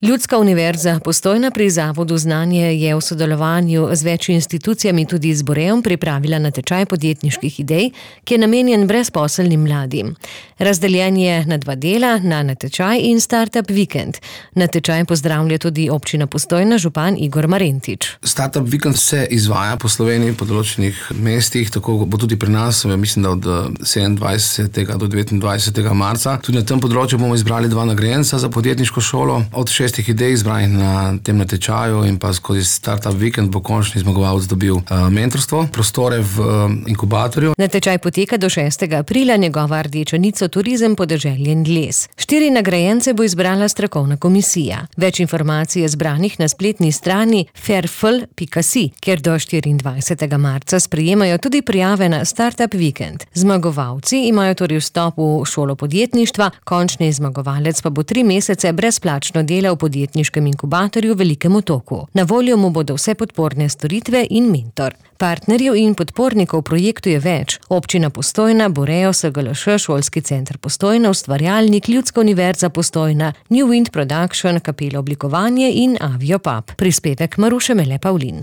Ljudska univerza Postojna pri Zavodu Znanje je v sodelovanju z več institucijami tudi z Boreom pripravila natečaj podjetniških idej, ki je namenjen brezposelnim mladim. Razdeljen je na 2 dela, na natečaj in startup vikend. Natečaj pozdravlja tudi občina Postojna, župan Igor Marentič. Startup vikend se izvaja po Sloveniji, po določenih mestih, tako bo tudi pri nas, mislim, da od 27. do 29. marca. Tudi na tem področju bomo izbrali 2 nagrajenca za podjetniško šolo. Od 6 idej izbranih na tem natečaju in pa skozi Startup Weekend bo končni zmagovalec dobil mentorstvo, prostore v inkubatorju. Natečaj poteka do 6. aprila, njegova rdeča nit so turizem, podeželje in les. 4 nagrajence bo izbrala strokovna komisija. Več informacij je zbranih na spletni strani fairful.si, kjer do 24. marca sprejemajo tudi prijave na Startup Weekend. Zmagovalci imajo torej vstop v šolo podjetništva, končni zmagovalec pa bo 3 mesece brezplačno delal v podjetniškem inkubatorju v Velikem Otoku. Na voljo mu bodo vse podporne storitve in mentor. Partnerjev in podpornikov projektu je več. Občina Postojna, Boreo, SGLŠ, Šolski center Postojna, Ustvarjalnik, Ljudska univerza Postojna, New Wind Production, Kapela oblikovanje in Avio Pub. Prispevek Maruše Mele Pavlin.